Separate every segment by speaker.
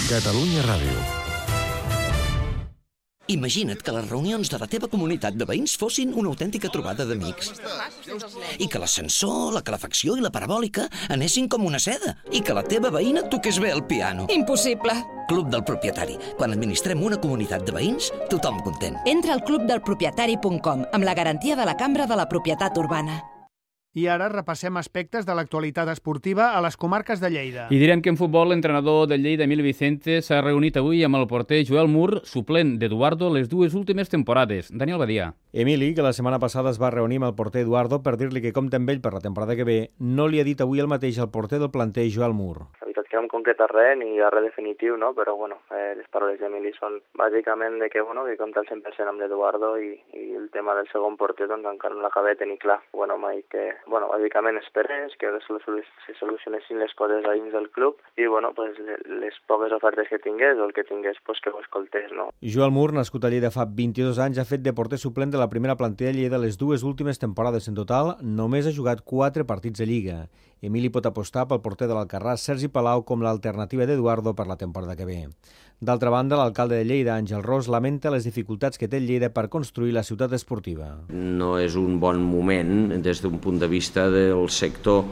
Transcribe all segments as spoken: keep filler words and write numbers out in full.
Speaker 1: Catalunya Ràdio.
Speaker 2: Imagina't que les reunions de la teva comunitat de veïns fossin una autèntica trobada d'amics. I que l'ascensor, la calefacció i la parabòlica anessin com una seda. I que la teva veïna toqués bé el piano.
Speaker 3: Impossible!
Speaker 2: Club del propietari. Quan administrem una comunitat de veïns, tothom content.
Speaker 3: Entra al club del propietari punt com amb la garantia de la Cambra de la Propietat Urbana.
Speaker 4: I ara repassem aspectes de l'actualitat esportiva a les comarques de Lleida.
Speaker 5: I direm que en futbol l'entrenador del Lleida, Emili Vicente, s'ha reunit avui amb el porter Joel Mur, suplent d'Eduardo les dues últimes temporades. Daniel Badia.
Speaker 6: Emili, que la setmana passada es va reunir amb el porter Eduardo per dir-li que compta amb ell per la temporada que ve, no li ha dit avui el mateix al porter del planter Joel Mur.
Speaker 7: La veritat que no em concreta res ni res definitiu, no? Però bueno, eh, les paraules d'Emili són bàsicament de que, bueno, que compta al cent per cent amb l'Eduardo i, i el tema del segon porter doncs encara no l'acabé de tenir clar. Bueno, m'ha dit que, bueno, bàsicament esperés que se solucionessin les coses a dins del club i, bueno, pues, les poques ofertes que tingués o el que tingués, pues, que ho escoltés, no?
Speaker 6: Joel Mur, nascut a Lleida fa vint-i-dos anys, ha fet de porter suplent de la primera plantilla Lleida les dues últimes temporades. En total, només ha jugat quatre partits de Lliga. Emili pot apostar pel porter de l'Alcarràs, Sergi Palau, com l'alternativa d'Eduardo per la temporada que ve. D'altra banda, l'alcalde de Lleida, Àngel Ros, lamenta les dificultats que té Lleida per construir la ciutat esportiva.
Speaker 8: No és un bon moment des d'un punt de vista del sector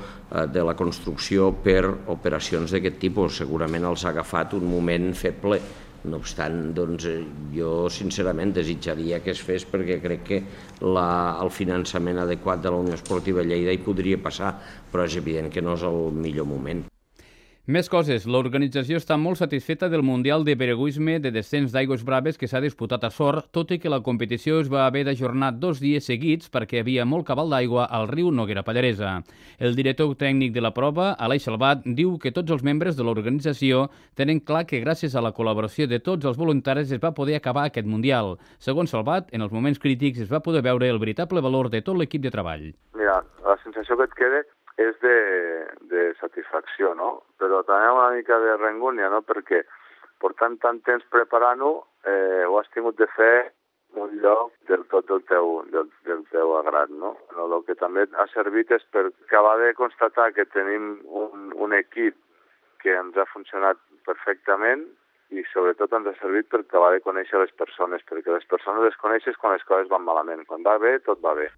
Speaker 8: de la construcció per operacions d'aquest tipus. Segurament els ha agafat un moment feble. No obstant, doncs, jo sincerament desitjaria que es fes perquè crec que la, el finançament adequat de la Unió Esportiva Lleida hi podria passar, però és evident que no és el millor moment.
Speaker 5: Més coses. L'organització està molt satisfeta del Mundial de Piragüisme de descens d'Aigües Braves que s'ha disputat a Sort, tot i que la competició es va haver d'ajornar dos dies seguits perquè hi havia molt cabal d'aigua al riu Noguera Pallaresa. El director tècnic de la prova, Aleix Salvat, diu que tots els membres de l'organització tenen clar que gràcies a la col·laboració de tots els voluntaris es va poder acabar aquest Mundial. Segons Salvat, en els moments crítics es va poder veure el veritable valor de tot l'equip de treball.
Speaker 9: Mira, la sensació que et queda és de, de satisfacció, no? Però també una mica de rengúnia, no? Perquè portant tant temps preparant-ho, eh, ho has tingut de fer un lloc del tot del teu, del, del teu agrat, no? Però el que també ha servit és per acabar de constatar que tenim un, un equip que ens ha funcionat perfectament i sobretot ens ha servit per acabar de conèixer les persones, perquè les persones les coneixes quan les coses van malament. Quan va bé, tot va bé.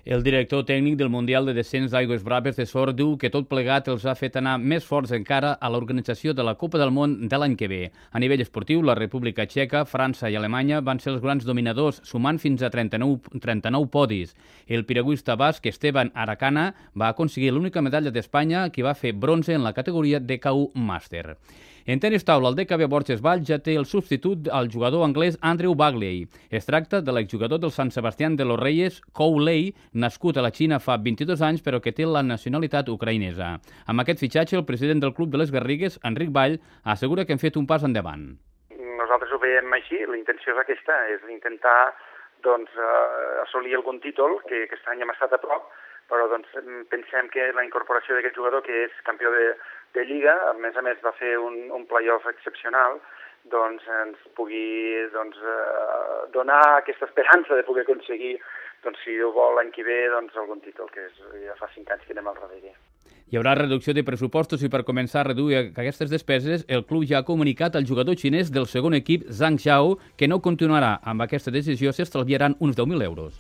Speaker 5: El director tècnic del Mundial de Descens d'Aigües Braves de Sort diu que tot plegat els ha fet anar més forts encara a l'organització de la Copa del Món de l'any que ve. A nivell esportiu, la República Txeca, França i Alemanya van ser els grans dominadors, sumant fins a trenta-nou, trenta-nou podis. El piragüista basc Esteban Aracana va aconseguir l'única medalla d'Espanya que va fer bronze en la categoria D K U Màster. En tenis taula, el D K B Borges Valls ja té el substitut al jugador anglès Andrew Bagley. Es tracta de l'exjugador del San Sebastián de los Reyes, Kou Lei, nascut a la Xina fa vint-i-dos anys però que té la nacionalitat ucraïnesa. Amb aquest fitxatge, el president del Club de les Garrigues, Enric Vall, assegura que han fet un pas endavant.
Speaker 10: Nosaltres ho veiem així, la intenció és aquesta, és intentar doncs, assolir algun títol, que aquest any hem estat a prop, però doncs, pensem que la incorporació d'aquest jugador, que és campió de, de Lliga, a més a més va fer un, un play-off excepcional, doncs ens pugui doncs, eh, donar aquesta esperança de poder aconseguir, doncs, si ho vol l'any que ve, doncs, algun títol, que és, ja fa cinc anys que anem al darrere.
Speaker 5: Hi haurà reducció de pressupostos i per començar a reduir aquestes despeses, el club ja ha comunicat al jugador xinès del segon equip, Zhang Xiao, que no continuarà. Amb aquesta decisió s'estalviaran uns deu mil euros.